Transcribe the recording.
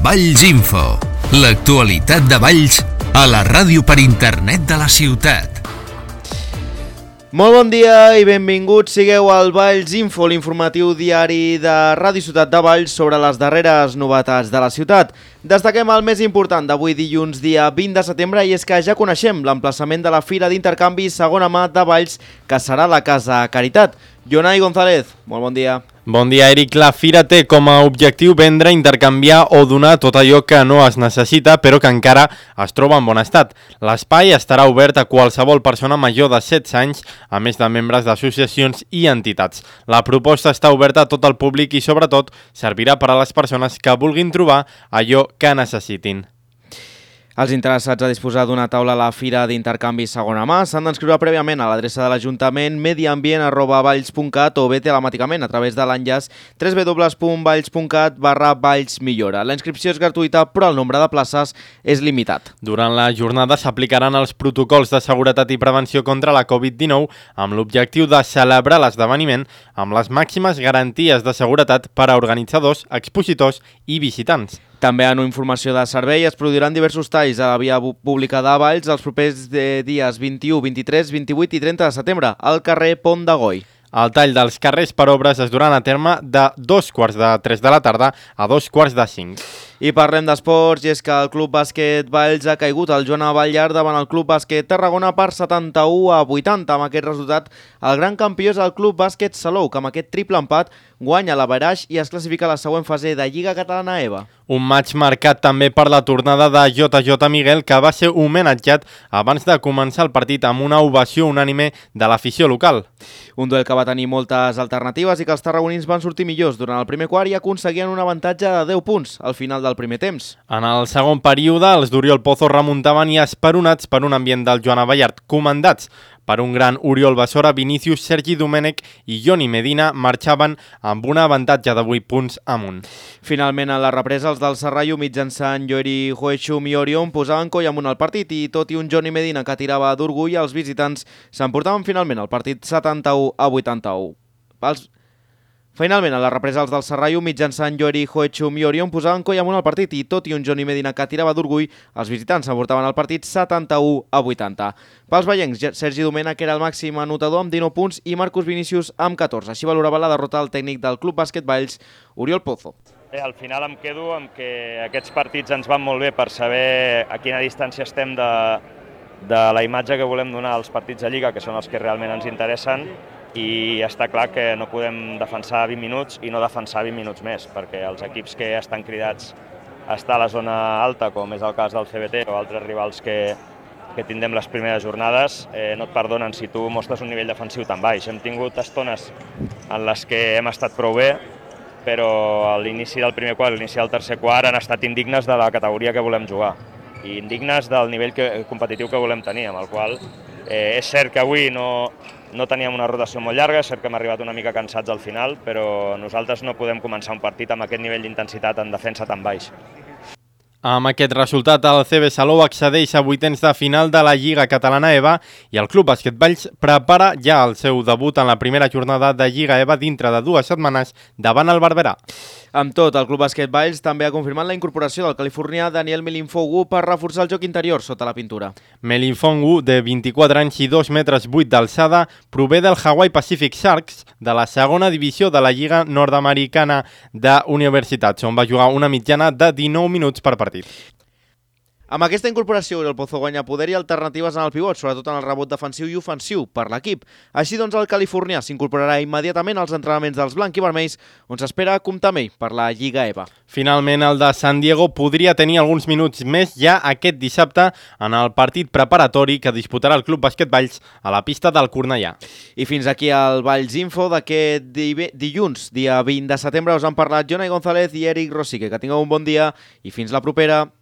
Valls Info, l'actualitat de Valls a la ràdio per internet de la ciutat. Molt bon dia i benvinguts sigueu al Valls Info, l'informatiu diari de Ràdio Ciutat de Valls sobre les darreres novetats de la ciutat. Destaquem el més important d'avui dilluns, dia 20 de setembre, i és que ja coneixem l'emplaçament de la Fira d'Intercanvi Segona Mà de Valls, que serà la Casa Caritat. Jonai González, molt bon dia. Bon dia, Eric. La Fira té com a objectiu vendre, intercanviar o donar tot allò que no es necessita però que encara es troba en bon estat. L'espai estarà obert a qualsevol persona major de 16 anys, a més de membres d'associacions i entitats. La proposta està oberta a tot el públic i sobretot servirà per a les persones que vulguin trobar allò que necessitin. Els interessats a disposar d'una taula a la Fira d'Intercanvi Segona Mà s'han d'inscriure prèviament a l'adreça de l'Ajuntament mediambient@valls.cat o bé telemàticament a través de l'enllaç www.valls.cat/vallsmillora. La inscripció és gratuïta, però el nombre de places és limitat. Durant la jornada s'aplicaran els protocols de seguretat i prevenció contra la Covid-19 amb l'objectiu de celebrar l'esdeveniment amb les màximes garanties de seguretat per a organitzadors, expositors i visitants. També en informació de servei es produiran diversos talls a la via pública de Valls els propers dies 21, 23, 28 i 30 de setembre al carrer Pont de Goi. El tall dels carrers per obres es duran a terme de 2:45 de la tarda a 2:45. I parlem d'esports, i és que el Club Bàsquet Valls ha caigut al Joan Batllar davant el Club Bàsquet Tarragona per 71-80. Amb aquest resultat, el gran campió és el Club Bàsquet Salou, que amb aquest triple empat guanya l'averaix i es classifica a la següent fase de Lliga Catalana EVA. Un match marcat també per la tornada de JJ Miguel, que va ser homenatjat abans de començar el partit amb una ovació unànime de l'afició local. Un duel que va tenir moltes alternatives i que els tarragonins van sortir millors durant el primer quart i aconseguien un avantatge de 10 punts al final del primer temps. En el segon període, els d'Oriol Pozo remuntaven i esperonats per un ambient del Joan Batllar, comandats per un gran Oriol Basora, Vinícius, Sergi Domènech i Joni Medina marxaven amb un avantatge de 8 punts amunt. Finalment, a la represa, els del Serrallo, mitjançant Joeri Hoechum i Orion, posaven coll amunt al partit i tot i un Joni Medina que tirava d'orgull, els visitants s'emportaven finalment el partit 71-81. Finalment, a la represa, els del Serrallo, mitjançant Joeri Hoechum i Orion, posaven coll amunt al partit i tot i un Joni Medina que tirava d'orgull, els visitants s'emportaven el partit 71-80. Pels vallencs, Sergi Domènech era el màxim anotador amb 19 punts i Marcus Vinícius amb 14. Així valorava la derrota del tècnic del Club Bàsquet Valls, Oriol Pozo. Al final em quedo amb que aquests partits ens van molt bé per saber a quina distància estem de la imatge que volem donar als partits de Lliga, que són els que realment ens interessen, i està clar que no podem defensar 20 minuts i no defensar 20 minuts més, perquè els equips que estan cridats a estar a la zona alta, com és el cas del CBT o altres rivals que tindrem les primeres jornades, no et perdonen si tu mostres un nivell defensiu tan baix. Hem tingut estones en les que hem estat prou bé, però a l'inici del primer quart i a l'inici del tercer quart han estat indignes de la categoria que volem jugar i indignes del nivell competitiu que volem tenir, amb el qual és cert que avui no teníem una rotació molt llarga, és cert que hem arribat una mica cansats al final, però nosaltres no podem començar un partit amb aquest nivell d'intensitat en defensa tan baix. Amb aquest resultat, el CB Salou accedeix a vuitens de final de la Lliga Catalana EVA i el Club Bàsquet Valls prepara ja el seu debut en la primera jornada de Lliga EVA dintre de 2 setmanes davant el Barberà. Amb tot, el Club Bàsquet Valls també ha confirmat la incorporació del californià Daniel Melinfongu per reforçar el joc interior sota la pintura. Melinfongu, de 24 anys i 2 metres 8 d'alçada, prové del Hawaii Pacific Sharks de la segona divisió de la Lliga Nord-Americana d'Universitats, on va jugar una mitjana de 19 minuts per partit. Amb aquesta incorporació, el Pozo guanya poder i alternatives en el pivot, sobretot en el rebot defensiu i ofensiu per l'equip. Així doncs, el californià s'incorporarà immediatament als entrenaments dels blanc-i-vermells, on s'espera comptar amb ell per la Lliga EVA. Finalment, el de San Diego podria tenir alguns minuts més ja aquest dissabte en el partit preparatori que disputarà el Club Bàsquet Valls a la pista del Cornellà. I fins aquí el Valls Info d'aquest dilluns, dia 20 de setembre. Us han parlat Jonai González i Eric Rosique. Que tingueu un bon dia i fins la propera.